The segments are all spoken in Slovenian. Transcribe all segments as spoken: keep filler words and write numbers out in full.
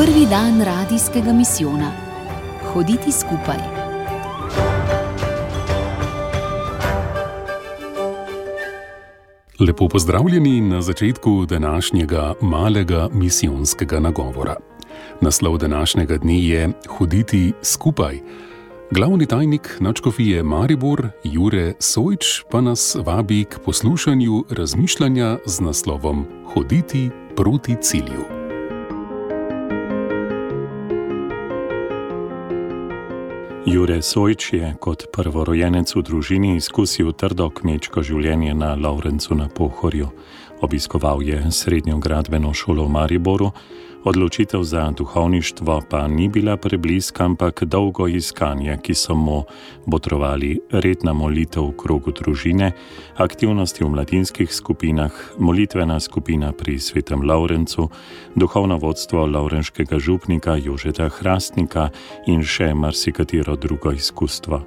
Prvi dan radijskega misijona. Hoditi skupaj. Lepo pozdravljeni na začetku današnjega malega misijonskega nagovora. Naslov današnjega dne je Hoditi skupaj. Glavni tajnik nadškofije Maribor, Jure Sojč, pa nas vabi k poslušanju razmišljanja z naslovom Hoditi proti cilju. Jure Sojč je kot prvorojenec v družini izkusil trdo kmečko življenje na Lovrencu na Pohorju. Obiskoval je srednjo gradbeno šolo v Mariboru, odločitev za duhovništvo pa ni bila prebliska, ampak dolgo iskanje, ki so mu botrovali redna molitev v krogu družine, aktivnosti v mladinskih skupinah, molitvena skupina pri Svetem Lovrencu, duhovno vodstvo lovrenškega župnika Jožeta Hrastnika in še marsikatero drugo izkustvo.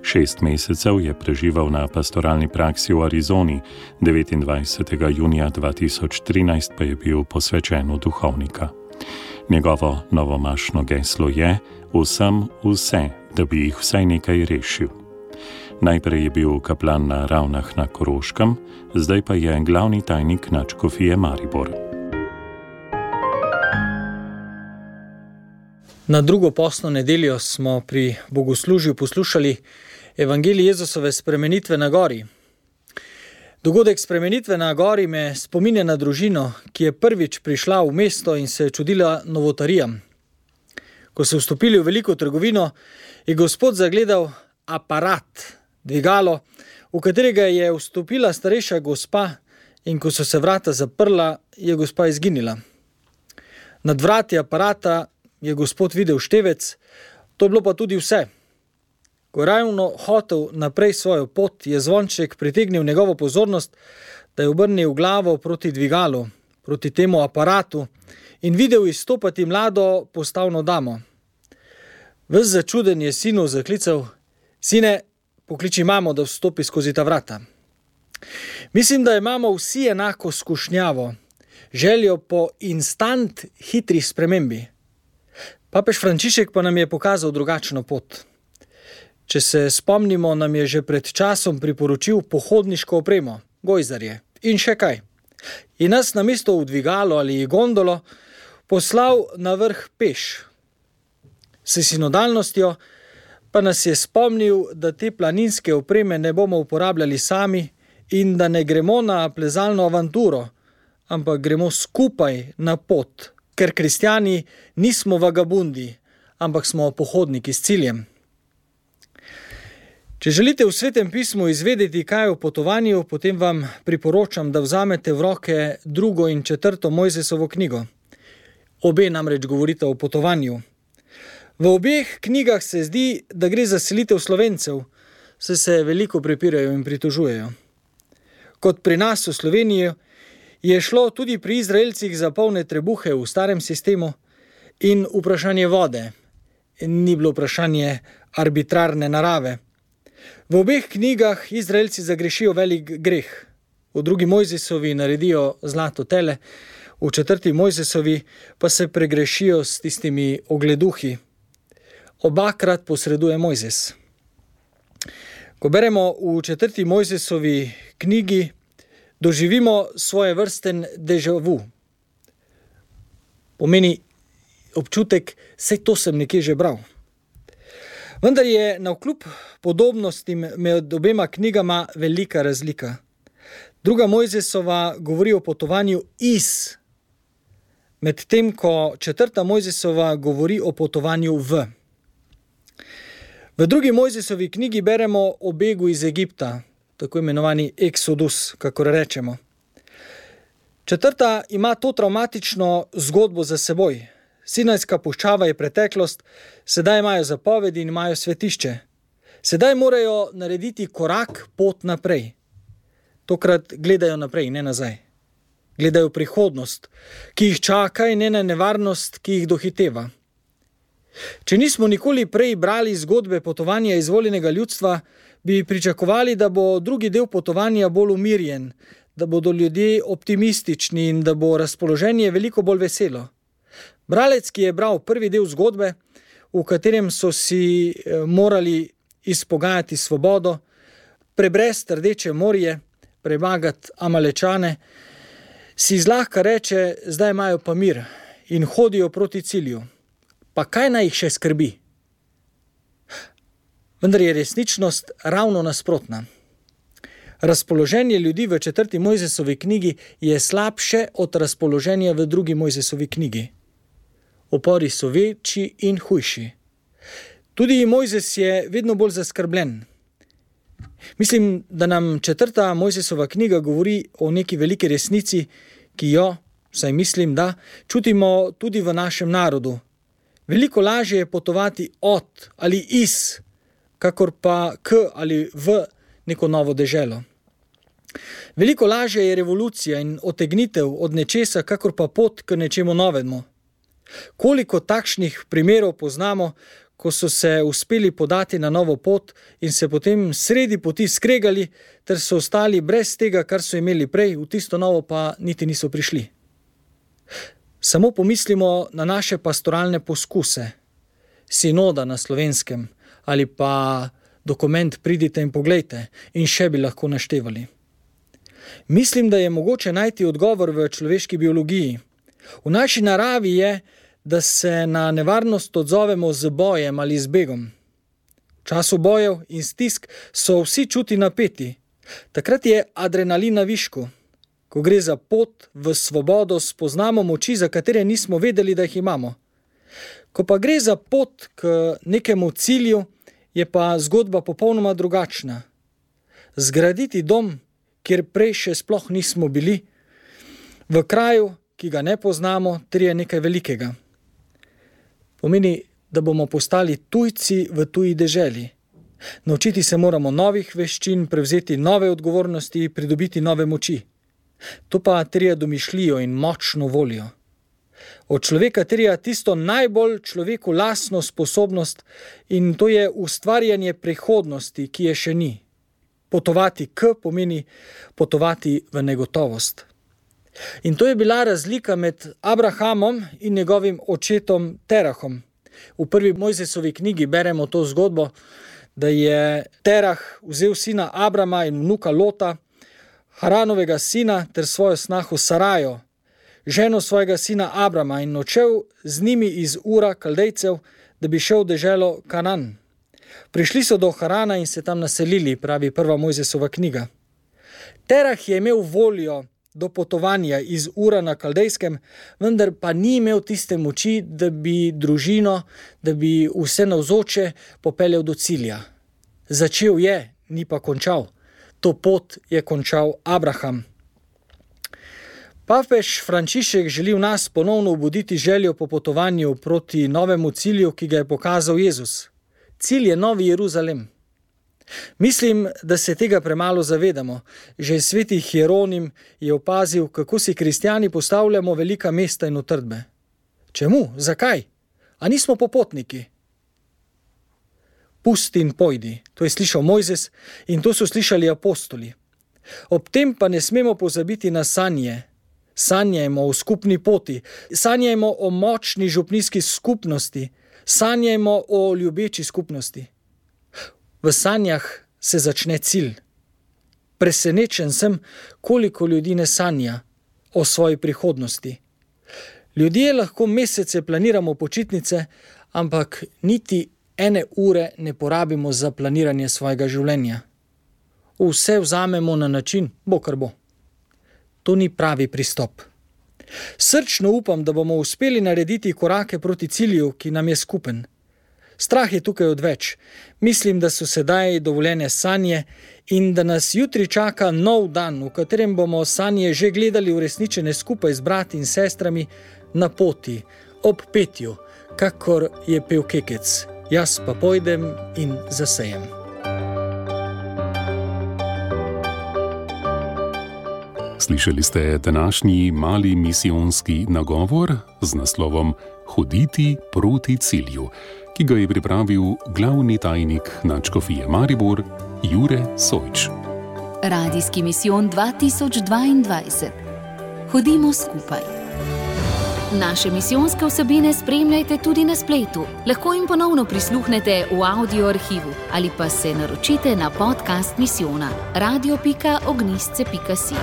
Šest mesecev je preživel na pastoralni praksi v Arizoni, devetindvajsetega junija dva tisoč trinajst pa je bil posvečen v duhovnika. Njegovo novomašno geslo je vsem vse, da bi jih vsaj nekaj rešil. Najprej je bil kaplan na Ravnah na Koroškem, zdaj pa je glavni tajnik nadškofije Maribor. Na drugo postno nedeljo smo pri bogoslužju poslušali evangelij Jezusove spremenitve na gori. Dogodek spremenitve na gori me spominja na družino, ki je prvič prišla v mesto in se čudila novotarijam. Ko so vstopili v veliko trgovino, je Gospod zagledal aparat, dvigalo, v katerega je vstopila starejša gospa, in ko so se vrata zaprla, je gospa izginila. Nad vrati aparata je Gospod videl števec, to je bilo pa tudi vse. Ko ravno hotel naprej svojo pot, je zvonček pritegnil njegovo pozornost, da je obrnil glavo proti dvigalu, proti temu aparatu in videl izstopati mlado postavno damo. Ves začuden je sinu zaklical: "Sine, pokliči mamo, da vstopi skozi ta vrata." Mislim, da imamo vsi enako skušnjavo, željo po instant hitri spremembi. Papež Frančišek pa nam je pokazal drugačno pot. Če se spomnimo, nam je že pred časom priporočil pohodniško opremo, gojzarje in še kaj. In nas namesto v dvigalo ali gondolo poslal na vrh peš. S sinodalnostjo pa nas je spomnil, da te planinske opreme ne bomo uporabljali sami in da ne gremo na plezalno avanturo, ampak gremo skupaj na pot, ker kristjani nismo vagabundi, ampak smo pohodniki s ciljem. Če želite v Svetem pismu izvedeti, kaj je o potovanju, potem vam priporočam, da vzamete v roke drugo in četrto Mojzesovo knjigo. Obe namreč govorita o potovanju. V obeh knjigah se zdi, da gre za selitev Slovencev, saj se veliko prepirajo in pritožujejo. Kot pri nas v Sloveniji je šlo tudi pri Izraelcih za polne trebuhe v starem sistemu in vprašanje vode. Ni bilo vprašanje arbitrarne narave. V obeh knjigah Izraelci zagrešijo velik greh. V drugi Mojzesovi naredijo zlato tele, v četrti Mojzesovi pa se pregrešijo s tistimi ogleduhi. Obakrat posreduje Mojzes. Ko beremo v četrti Mojzesovi knjigi, doživimo svoje vrsten déjà vu. Pomeni občutek, saj to sem nekje že bral. Vendar je navkljub podobnostim med obema knjigama velika razlika. Druga Mojzesova govori o potovanju iz, medtem ko četrta Mojzesova govori o potovanju v. V drugi Mojzesovi knjigi beremo o begu iz Egipta, tako imenovani Exodus, kakor rečemo. Četrta ima to travmatično zgodbo za seboj. Sinajska puščava je preteklost, sedaj imajo zapovedi in imajo svetišče. Sedaj morajo narediti korak pot naprej. Tokrat gledajo naprej, ne nazaj. Gledajo prihodnost, ki jih čaka, in ne na nevarnost, ki jih dohiteva. Če nismo nikoli prej brali zgodbe potovanja izvoljenega ljudstva, bi pričakovali, da bo drugi del potovanja bolj umirjen, da bodo ljudje optimistični in da bo razpoloženje veliko bolj veselo. Bralec, ki je bral prvi del zgodbe, v katerem so si morali izpogajati svobodo, prebresti Rdeče morje, premagati Amalečane, si zlahka reče, zdaj imajo pa mir in hodijo proti cilju. Pa kaj naj jih še skrbi? Vendar je resničnost ravno nasprotna. Razpoloženje ljudi v četrti Mojzesovi knjigi je slabše od razpoloženja v drugi Mojzesovi knjigi. Upori so večji in hujši. Tudi Mojzes je vedno bolj zaskrbljen. Mislim, da nam četrta Mojzesova knjiga govori o neki veliki resnici, ki jo, vsaj mislim, da čutimo tudi v našem narodu. Veliko lažje je potovati od ali iz, kakor pa k ali v neko novo deželo. Veliko lažje je revolucija in otegnitev od nečesa, kakor pa pot k nečemu novemu. Koliko takšnih primerov poznamo, ko so se uspeli podati na novo pot in se potem sredi poti skregali, ter so ostali brez tega, kar so imeli prej, v tisto novo pa niti niso prišli. Samo pomislimo na naše pastoralne poskuse, sinoda na Slovenskem ali pa dokument Pridite in poglejte in še bi lahko naštevali. Mislim, da je mogoče najti odgovor v človeški biologiji. V naši naravi je, da se na nevarnost odzovemo z bojem ali z begom. V času bojev in stisk so vsi čuti napeti. Takrat je adrenalin na višku. Ko gre za pot v svobodo, spoznamo moči, za katere nismo vedeli, da jih imamo. Ko pa gre za pot k nekemu cilju, je pa zgodba popolnoma drugačna. Zgraditi dom, kjer prej še sploh nismo bili, v kraju, ki ga ne poznamo, terja nekaj velikega. Pomeni, da bomo postali tujci v tuji deželi. Naučiti se moramo novih veščin, prevzeti nove odgovornosti, pridobiti nove moči. To pa terja domišljijo in močno voljo. Od človeka terja tisto najbolj človeku lastno sposobnost in to je ustvarjanje prihodnosti, ki je še ni. Potovati k pomeni potovati v negotovost. In to je bila razlika med Abrahamom in njegovim očetom Terahom. V prvi Mojzesovi knjigi beremo to zgodbo, da je Terah vzel sina Abrama in vnuka Lota, Haranovega sina ter svojo snaho Sarajo, ženo svojega sina Abrama in odšel z njimi iz Ura Kaldejcev, da bi šel v deželo Kanan. Prišli so do Harana in se tam naselili, pravi prva Mojzesova knjiga. Terah je imel voljo do potovanja iz Ura na Kaldejskem, vendar pa ni imel tiste moči, da bi družino, da bi vse navzoče popeljal do cilja. Začel je, ni pa končal. To pot je končal Abraham. Papež Frančišek želi v nas ponovno obuditi željo po potovanju proti novemu cilju, ki ga je pokazal Jezus. Cilj je Novi Jeruzalem. Mislim, da se tega premalo zavedamo. Že sveti Hieronim je opazil, kako si kristjani postavljamo velika mesta in utrdbe. Čemu? Zakaj? A nismo popotniki? Pusti in pojdi, to je slišal Mojzes in to so slišali apostoli. Ob tem pa ne smemo pozabiti na sanje. Sanjajmo o skupni poti, sanjajmo o močni župnijski skupnosti, sanjajmo o ljubeči skupnosti. V sanjah se začne cilj. Presenečen sem, koliko ljudi ne sanja o svoji prihodnosti. Ljudje lahko mesece planiramo počitnice, ampak niti ene ure ne porabimo za planiranje svojega življenja. Vse vzamemo na način, bo kar bo. To ni pravi pristop. Srčno upam, da bomo uspeli narediti korake proti cilju, ki nam je skupen. Strah je tukaj odveč. Mislim, da so sedaj dovoljene sanje in da nas jutri čaka nov dan, v katerem bomo sanje že gledali uresničene skupaj z brati in sestrami na poti, ob petju, kakor je pel Kekec. Jaz pa pojdem in zasejem. Slišali ste današnji mali misijonski nagovor z naslovom Hoditi proti cilju, ki ga je pripravil glavni tajnik nadškofije Maribor Jure Sojč. Radijski misijon dva tisoč dvaindvajset. Hodimo skupaj. Naše misijonske vsebine spremljajte tudi na spletu. Lahko jim ponovno prisluhnete v audio arhivu ali pa se naročite na podcast misijona radio pika ognjišče pika si.